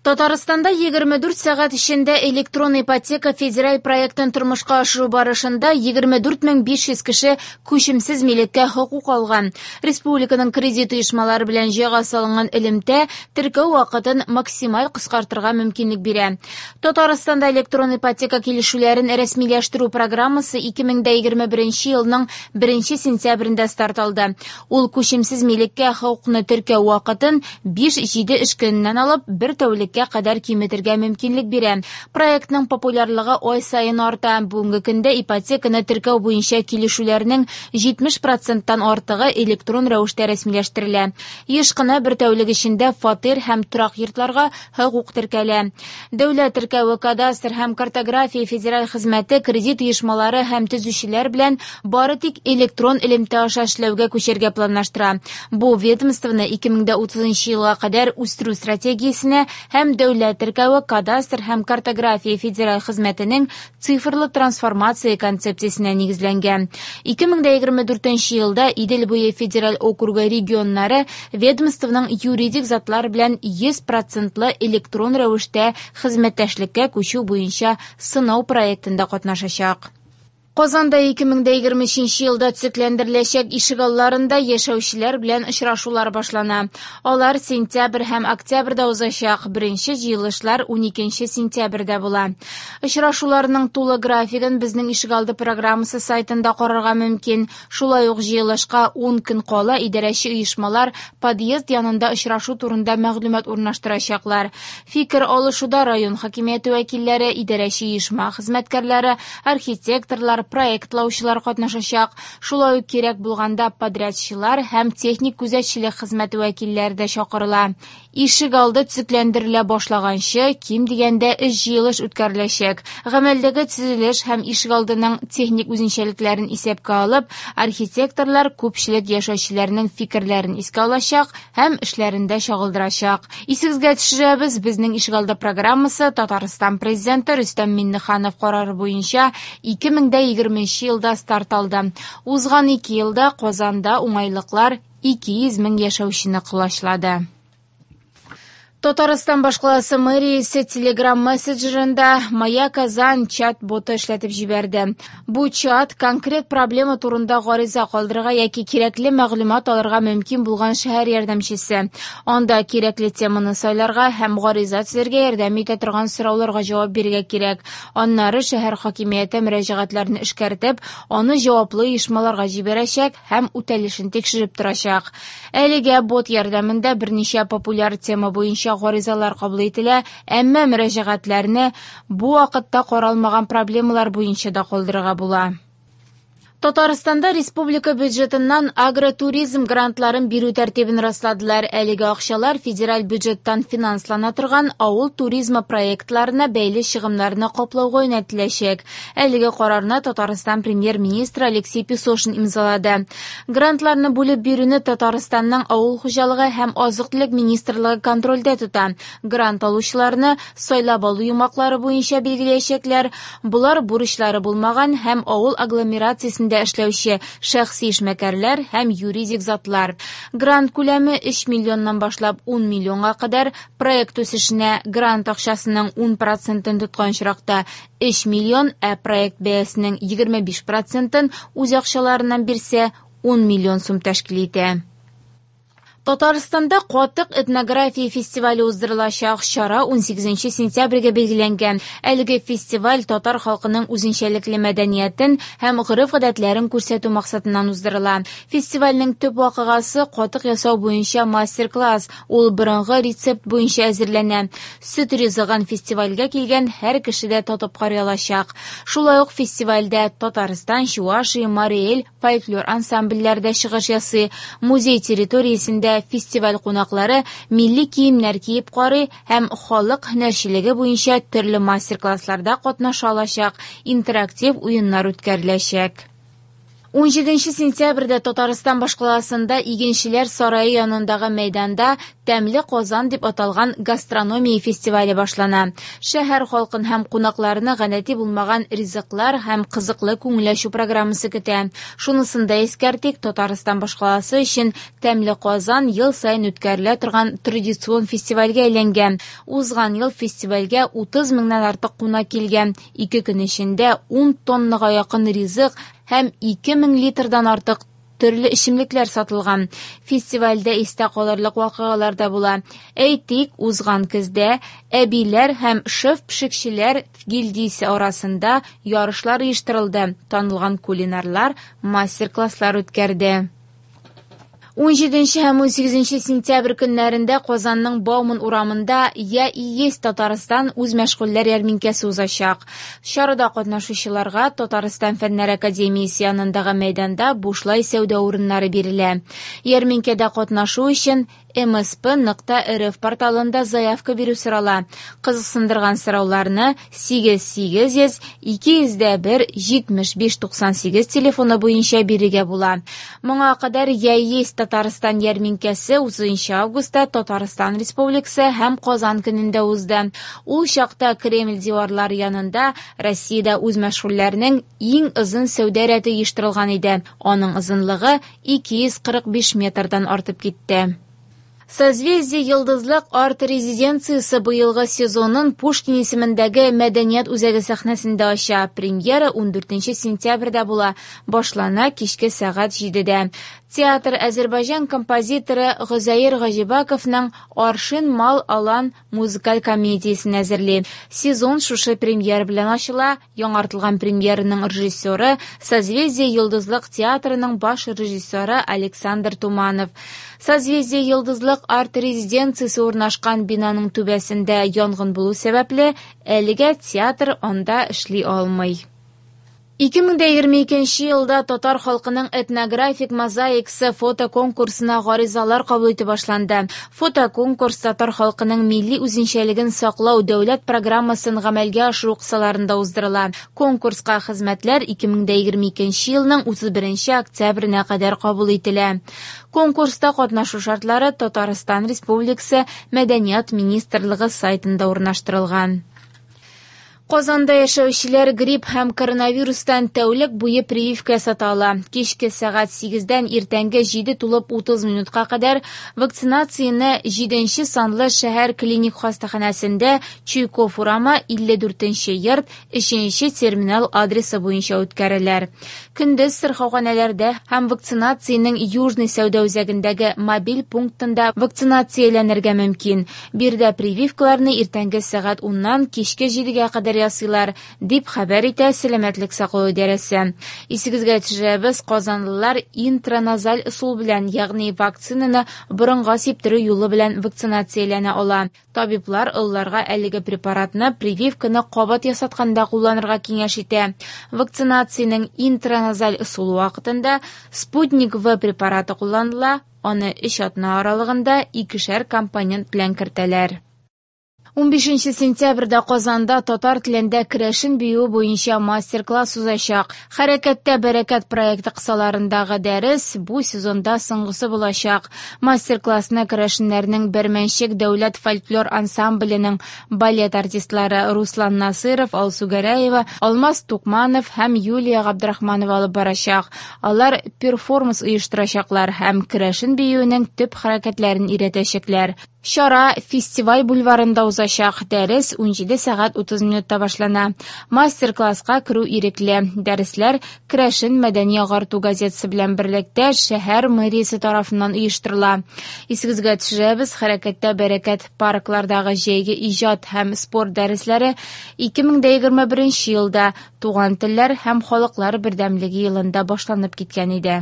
Татарстанда 24 сәгать эчендә электрон ипотека федераль проектын тормышка ашыру барышында 24 500 кеше күчемсез милеккә хокук алган. Республиканың кредит оешмалары белән җайга салынган элемтә теркәү вакытын максималь кыскартырга мөмкинлек бирә. Татарстанда электрон ипотека килешүләрен рәсмиләштерү программасы 2021 елның 1 сентябрендә старт алды. Ул күчемсез милеккә хокукны теркәү вакытын 5-7 эш көненнән алып бер тәүлеккә кадәр киметергә мөмкинлек бирә. Проектның популярлыгы ай саен арта. Бүгенге көндә ипотеканы теркәү буенча килешүләрнең 70 проценттан артыгы электрон рәвештә рәсмиләштерелә. Еш кына бер тәүлек эчендә фатир һәм торак йортларга хокук теркәлә. Дәүләт теркәве, кадастр һәм картография федераль хезмәте кредит оешмалары һәм төзүчеләр белән бары тик электрон элемтә аша эшләүгә күчәргә планлаштыра. Бу ведомствоны 2030 елга кадәр үстерү стратегиясенә һәм дәүләт теркәве, кадастр һәм картография федераль хезмәтенең цифрлы трансформация концепциясенә нигезләнгән. 2024 елда Идел буе федераль округы регионнары ведомствоның юридик затлар белән 100 процентлы электрон рәвештә хезмәттәшлеккә күчү буенча сынау проектында катнашачак. Казанда 2023 елда төзекләндереләчәк ишегалларында яшәүчеләр белән очрашулар башлана. Алар сентябрь һәм октябрьдә узачак. Беренче җыелышлар 12 сентябрьдә була. Очрашуларның тулы графигын безнең ишегалды программасы сайтында карарга мөмкин. Шулай ук җыелышка 10 көн кала идарәче оешмалар подъезд янында очрашу турында мәгълүмат урнаштырачаклар. Фикер алышуда район хакимияте вәкилләре, идарәче оешма хезмәткәрләре, архитекторлар, проектлаучылар катнашачак. Шулай ук кирәк булганда подрядчылар һәм техник күзәтчелек хезмәте вәкилләре дә чакырыла. Ишек алды төзекләндерелә башлаганчы, ким дигәндә өч җыелыш үткәреләчәк. Гамәлдәге төзелеш һәм ишек алдының техник үзенчәлекләрен исәпкә алып, архитекторлар күпчелек яшәүчеләрнең фикерләрен искә алачак һәм эшләрендә чагылдырачак. Исегезгә төшерәбез, безнең ишегалды программасы Татарстан президенты Рөстәм Миңнеханов карары буенча 2020 елда старт алды. Узган 2 елда Казанда уңайлыклар 200 мең яшәүчене колачлады. Татарстан башкаласы мэриясе Telegram мессенджерында «Моя Казань» чат-боты эшләтеп җибәрде. Бу чат конкрет проблема турында гариза калдырырга яки кирәкле мәгълүмат алырга мөмкин булган шәһәр ярдәмчесе. Анда кирәкле теманы сайларга һәм гариза төзергә ярдәм итә торган сорауларга җавап бирергә кирәк. Аннары шәһәр хакимияте мөрәҗәгатьләрне эшкәртеп, аны җаваплы оешмаларга җибәрәчәк һәм үтәлешен тикшереп торачак. Әлегә бот ярдәмендә берничә популяр тема буенча гаризалар кабул ителә, әмма мөрәҗәгатьләрне бу вакытта каралмаган проблемалар буенча да калдырырга була. Татарстанда республика бюджетыннан агротуризм грантларын бирү тәртибен расладылар. Әлеге акчалар федераль бюджеттан финанслана торган авыл туризмы проектларына бәйле чыгымнарны каплауга юнәлтеләчәк. Әлеге карарны Татарстан премьер-министры Алексей Песошин имзалады. Грантларны бүлеп бирүне Татарстанның авыл хуҗалыгы һәм азык-төлек министрлыгы контрольдә тота. Грант алучыларны сайлап алу йомгаклары буенча билгеләячәкләр. Болар бурычлары булмаган һәм авыл агломерациясендә эшләүче шәхси эшмәкәрләр һәм юридик затлар. Грант күләме 3 миллионнан башлап 10 миллионга кадәр, проект үсешенә грант акчасының 10 процентын тоткан очракта 3 миллион, ә проект бәясенең 25 процентын үз акчаларыннан бирсә 10 миллион сум тәшкил итә. Татарстанда катык этнография фестивале уздырылачак. Чара 18 сентябрьгә билгеләнгән. Әлеге фестиваль татар халкының үзенчәлекле мәдәниятен һәм гореф-гадәтләрен күрсәтү максатыннан уздырыла. Фестивальнең төп вакыйгасы катык ясау буенча мастер-класс. Ул борынгы рецепт буенча әзерләнә. Сөт ризыгын фестивальгә килгән һәр кеше дә татып карый алачак. Шулай ук фестивальдә Татарстан, Чувашия, Марий Эл фольклор ансамбльләре дә чыгыш ясый. Музей территориясендә фестиваль кунаклары милли киемнәр киеп карый һәм халык һөнәрчелеге буенча төрле мастер-классларда катнаша алачак, интерактив уеннар үткәреләчәк. 17 сентябрьдә Татарстан башкаласында Игенчеләр сарае янындагы мәйданда Тәмле Казан дип аталган гастрономия фестивале башлана. Шәһәр халкын һәм кунакларны гадәти булмаган ризыклар һәм кызыклы күңел ачу программасы көтә. Шунысын да искәртик, Татарстан башкаласы өчен Тәмле Казан ел саен үткәрелә торган традицион фестивальгә әйләнгән. Узган ел фестивальгә 30 меңнән артык кунак килгән. Ике көн эчендә 10 тоннага якын ризык һәм 2000 литрдан артык төрле эчемлекләр сатылган. Фестивальдә истә калырлык вакыйгалар да була. Әйтик, узган көздә әбиләр һәм шеф-пешекчеләр гильдиясе арасында ярышлар оештырылды, танылган кулинарлар мастер-класслар үткәрде. 17 һәм 18 сентябрь көннәрендә Казанның Бауман урамында «Я и есть Татарстан» үзмәшгульләр ярминкәсе узачак. Чарада катнашучыларга Татарстан Фәннәр академиясе янындагы мәйданда бушлай сәүдә урыннары бирелә. Ярминкәдә катнашу өчен msp.rf порталында заявка бирү сорала. Кызыксындырган сорауларны 8800 201 75 98 телефоны буенча бирергә була. Моңа кадәр «Я есть Татарстан» ярминкәсе 30 августта Татарстан Республикасы һәм Казан көнендә узды. Ул чакта Кремль диварлары янында Россиядә үзмәшгульләрнең иң озын сәүдә рәте оештырылган иде. Аның озынлыгы 245 метрдан артып китте. Созвездие-Йолдызлык арт-резиденциясе быелгы сезонын Пушкин исемендәге мәдәният үзәге сәхнәсендә ача. Премьера 14 сентябрьдә була. Башлана кичке сәгать 7дә. Театр Азербайҗан композиторы Гозәер Гаҗибаковның Аршин мал алан музыкаль комедиясен әзерли. Сезон шушы премьера белән ачыла. Яңартылган премьераның режиссеры Созвездие-Йолдызлык театрының баш режиссеры Александр Туманов. Созвездие-Йолдызлык арт-резиденциясе урнашкан бинаның түбәсендә янгын булу сәбәпле, әлегә театр анда эшли алмый. 2022 елда татар халкының этнографик мозаикасы фотоконкурсына гаризалар кабул итү башланды. Фотоконкурс татар халкының милли үзенчәлеген саклау дәүләт программасын гамәлгә ашыру кысаларында уздырыла. Конкурска хезмәтләр 2022 елның 31 октябренә кадәр кабул ителә. Конкурста катнашу шартлары Татарстан Республикасы Мәдәният министрлыгы сайтында урнаштырылган. Казанда яшәүчеләр грипп һәм коронавирустан тәүлек буе прививка ясата ала. Кичке сәгать 8-дән иртәнге 7:30 минутка кадәр вакцинацияне 7 санлы шәһәр клиник хастаханәсендә Чуйков урамы 54 йорт 3 терминал адресы буенча үткәреләр. Көндез сырхауханәләрдә һәм вакцинациянең Южный сәүдә үзәгендәге мобиль пунктында вакцинацияләнергә мөмкин. Биредә прививкаларны иртәнге сәгать 10-нан кичке 7-гә кадәр ясыйлар, дип хәбәр итә Сәламәтлек саклау идарәсе. Исегезгә төшерәбез, казанлылар интраназаль ысул белән, ягъни вакцинаны борынга сиптерү юлы белән вакцинацияләнә ала. Табиблар олыларга әлеге препаратны прививканы кабат ясатканда кулланырга киңәш итә. Вакцинациянең интраназаль ысулы вакытында Спутник В препараты кулланыла, аны 3 атна аралыгында икешәр компонент белән кертәләр. 15 сентябрьдә Казанда татар телендә керәшен биюе буенча мастер-класс узачак. Хәрәкәттә бәрәкәт проекты кысаларындагы дәрес бу сезонда соңгысы булачак. Мастер-классны керәшеннәрнең Бәрмәнчек дәүләт фольклор ансамбленең балет артистлары Руслан Насыров, Алсу Гәрәева, Алмаз Тукманов һәм Юлия Габдрахманова алып барачак. Алар перформанс оештырачаклар һәм керәшен биюенең төп хәрәкәтләрен өйрәтәчәкләр. Чара фестиваль бульварында узачак. Дәрес 17 сәгать 30 минутта башлана. Мастер-класска керү ирекле. Дәресләр Керәшен мәдәни агарту газетасы белән берлектә шәһәр мэриясе тарафыннан оештырыла. Исегезгә төшерәбез, Хәрәкәттә бәрәкәт парклардагы җәйге иҗат һәм спорт дәресләре 2021 елда Туган телләр һәм халыклар бердәмлеге елында башланып киткән иде.